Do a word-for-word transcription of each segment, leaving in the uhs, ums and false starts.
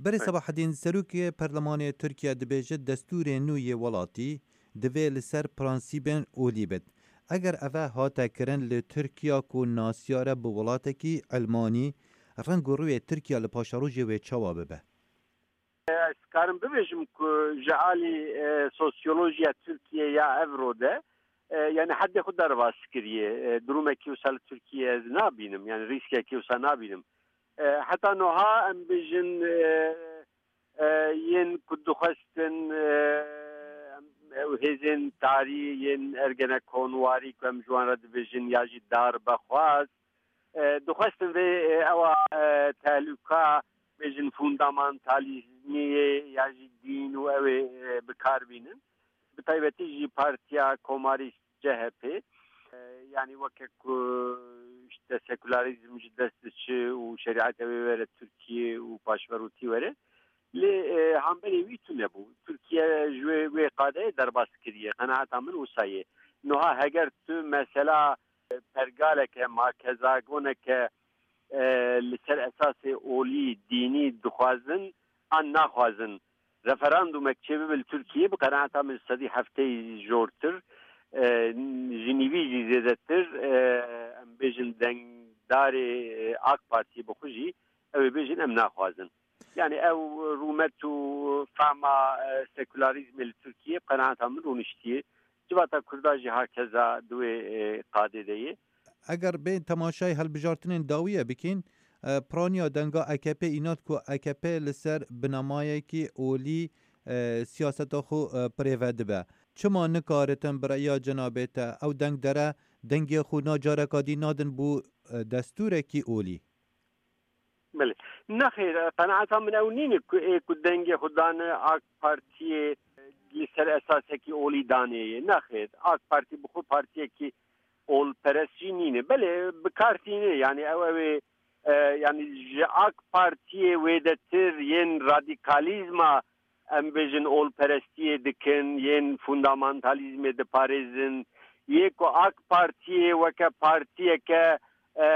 Berê Sebahedîn, Serokê Perlemanê Tirkiye dibêje destûrê nû yê welatî divê li ser prensîbên olî bit. Eger eve hate kirin li Tirkiya ku nasiyar e bi welatekî Elmanî, reng û rûyê Tirkiye li paşerojê wê çawa bibe? Ez karim bibêjim ku ji alî, e, sosyolojiya Tirkiye ya evro de, e, yani hedê xwe derbas kiriye. E, durumekî wisa li Tirkiye ez nabînim, yani rîskekî wisa nabînim. E, heta noha em bêjin, e, e, yên ku dixwestin, e, em, ew hêzên tarî yên ergenekonwarî ku em ji wan re dibêjin ya jî darbexwaz, e, dixwestin vê, e, ewa, e, tehlûka bêjin fundamentalizmê ya jî dîn û ew ê, e, bi kar bînin. Bi taybetî jî Partiya Komarî C H P, e, yanî weke ku işte sekülerîzm ji dest diçe û şerîeta wê were Tirkiye û paşverûtî were. Lê, e, hemberê wî tune bû. Tirkiye ji wê, wê qadeyê derbas kiriye. Qenaeta min wisa ye. Niha heger tu mesela, e, pergaleke, markezagoneke, e, li ser esasê olî, dînî dixwazin an naxwazin referandumek çêbibe li Tirkiye, bi qenaeta min sedî hefteyî jortir, e, ji nîvî jî zêdetir, e, em bêjin dengdarê, e, AK Partiyê bi xwe jî ew ê bêjin em naxwazin. Yani ew rûmet û fehma, e, sekülerîzmê li Tirkiye bi qenaeta min rûniştiye. Civata Kurda jî hakeza di wê, e, qadê de ye. Eger bên temaşayê hilbijartinên dawiye bikîn, e, piraniya denga A K P îna ku A K P li ser binamayekî olî, e, siyaseta xwe, e, birêve dibe. Çima nikaritin bi reya cenabê te ew dengdere dengê xwe na careka dî nadin bo, e, destûrekî olî? Belê. Nexêr, qenaeta min ew nîne ku ê ku dengê xwe dane AK Partiyê li ser esasekî olî danê ye. Nexêr, AK Partî bi xwe partiyekî olperest jî nîne. Belê, bi kar tîne. Yani ew, ew ê, e, yani ji AK Partiyê wêdetir yên radîkalîzma, em bêjin, olperestiyê dikin, yên fundamentalizmê diparêzin, yê ku AK Partiyê weke partiyeke, e,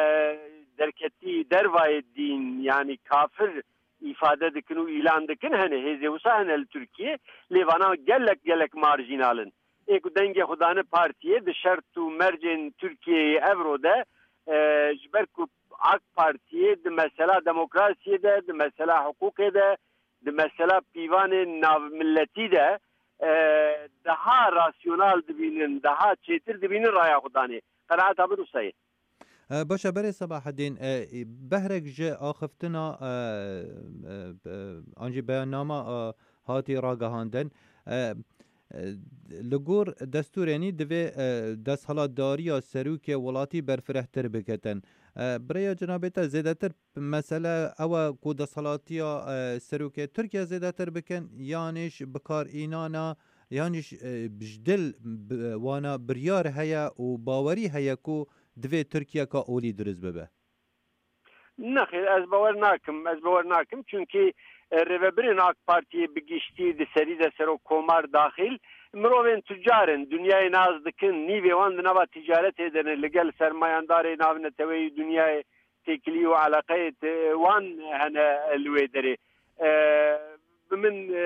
derketî dervayê dîn, yanî kafir îfade dikin û îlan dikin, hene, hêzê wisa hene li Tirkiyê, lê vana gelek, gelek marjînal in. Ê ku dengê xwe dane partiyê di şert û mercên Tirkiyeyê evro de, e, ji ber ku AK Partiyê di mesela demokrasiyê de, di mesela hiqûqê de, di mesela pîvanên navmilletî de, e, daha rasyonal dibînin, daha çêtir dibînin raya xwe danê. Qenaeta min wisa ye. E, baş e, berê Sebahedîn, e, behrek ji axiftina, e, e, e, an jî beyannama, e, hatî ragihandin. E, e, li gor destûrê nî divê, e, desthilatdariya serokê welatî berfirehtir biketin. E, bi rêya cenabê te zêdetir mesele ew e ku desthilatiya, e, serokê Tirkiye zêdetir bikin, yanî ji bikarînana, yanî ji, e, ji dil bi-, wana biryar heye û bawerî heye ku divê Tirkiyeka olî dirust bibe? Nexêr, ez bawer nakim, ez bawer nakim. Çunkî, e, rêvebirên AK Partiyê bi giştî, di serî de serokkomar daxîl, mirovên tucar in, dinyayê nas dikin, nîvê wan di nava ticaretê de ne, li gel sermayandarê navneteweyî dinyayê têkilî û eleqeyê te-, wan hene li wê derê. E, bi min, e,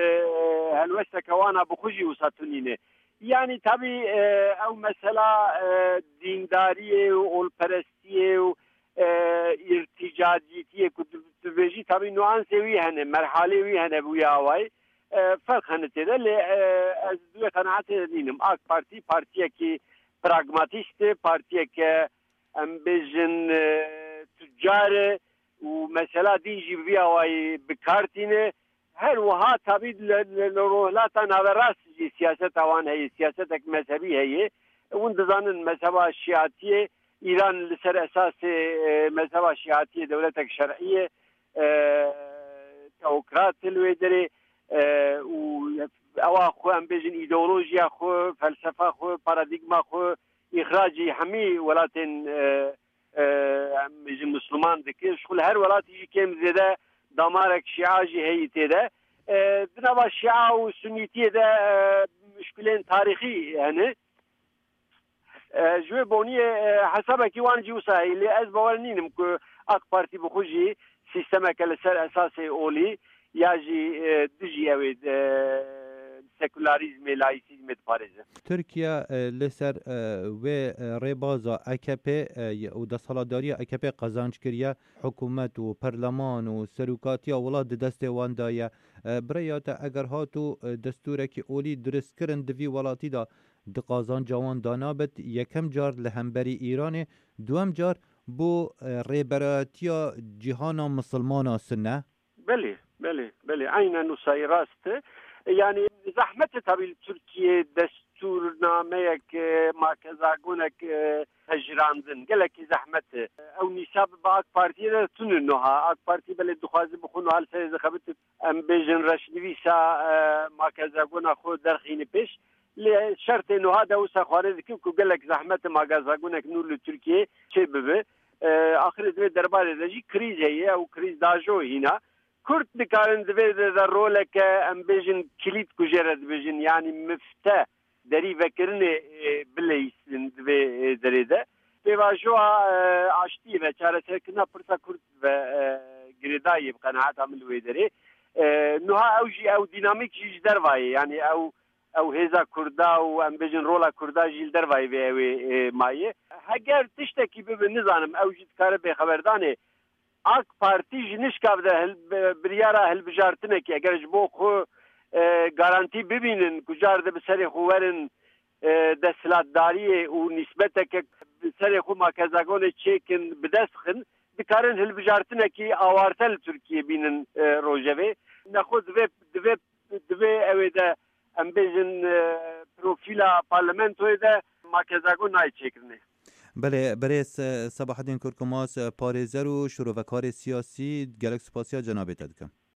helwesteke wana bi xwe jî wisa tunîne. Yanî tabî, e, ew mesela, e, dîndariyê û olperestiyê û, e, îrtîcacîtiyê ku tu, tu bêjî, tabî nuansê wî hene, merhalê wî hene bi wî awayî. E, ferq hene tê de, lê, e, ez di wê qenaetê de nînim. AK Partî partiyekî pragmatîst e, partiyeke em bêjin, e, tucar e û mesela din jî bi vî awayî bi kar tîne. Her wiha tabî li, li, li Rojhilata Naverast jî siyaseta wan heye, siyasetek mezhebî heye. Hûn dizanin mezheba şiatiyê, Îran li ser esasê, e, mezheba şiatiyê dewletek şer'î ye, e, teokrat li wê derê, e, û ewa xwe, em bêjin, îdeolojiya xwe, felsefa xwe, paradîgma xwe, îxracî hemî welatên, e, e, em bêjin, Misliman dike. Ji xwe li her welatî jî kêm zêde damarek şîa jî heyî tê de. E, di nava şîa û sunîtiyê de, e, muşkilên tarîxî hene. E, ji wê boniyê, e, hesabekî wan jî wisa heye. Lê ez bawer nînim ku AK Partî bi xwe jî sîstemeke li ser esasê olî ya jî, e, dijî ew ê, e, sekularîzmê, laîsîzmê diparêze. Tirkiye, e, li ser, e, wê, e, rêbaza A K P, e, û desthilatdariya A K P qazanc kiriye. Hikûmet û perleman û serokatiya welat di destê wan de ye. E, bi rêya te eger hat û, e, destûrekî olî diristkirin di vî welatî de, di qazanca wan de nabit, yekem car li hemberî Îranê, duwem car bo, e, rêberayetiya cîhana misilmana Sunne? Belê, belê, belê. Aynen wisa rast e. Yani zehmet e tabii li Tirkiye destûrnameyek, e, makezagonek, e, hejirandin. Gelekî zehmet e. Ew nîsa bi AK Partiyê de tune niha. AK Partî belê dixwaze bi xwe niha li serê zexebit, em bêjin reşnivîsa, e, makezagona xwe derxîne pêş. Lê şertê niha de wisa xwarê dike ku gelek zehmet e makezagonek nû li Tirkiye çê bibe. E, axirê di vê derbarê de jî krîz heye, ew krîz dajo hîna. Kurd dikarin di vê de, de roleke, em bêjin, kilît ku jê re dibêjin, yanî mifte derî vekirinê, e, bileyîsin di vê, e, derê de. Pêvajoya, e, aştiyê ve, çareserkirina pirsa Kurd ve, e, girêdayî ye bi qenaeta min li wê derê. E, niha ew jî, ew dînamîk jî ji derva ye, yanî ew, ew hêza Kurda û em bêjin rola Kurda jî li dervayê vê ew ê, e, maye. Heger tiştekî bibe, nizanim, ew jî dikare bêxeberdanê. AK Partî ji nişkav de hil-, bi-, biryara hilbijartinekê, eger ji bo xwe, e, garantî bibînin ku car de bi serê xwe werin, e, desthilatdariyê û nîsbeteke bi serê xwe makezagonê çêkin, bi dest xin, dikarin hilbijartinekî awarte li Tirkiyê bînin, e, rojevê. Nexwe divê, divê, divê ew ê de, em bêjin, e, profîla parlamentoyê de makezagon nayê çêkirinê. Belê, birêz, e, Sebahedîn Kurkumas, e, parêzer û şirovekarê siyasî, gelek spasiya cenabê te dikim.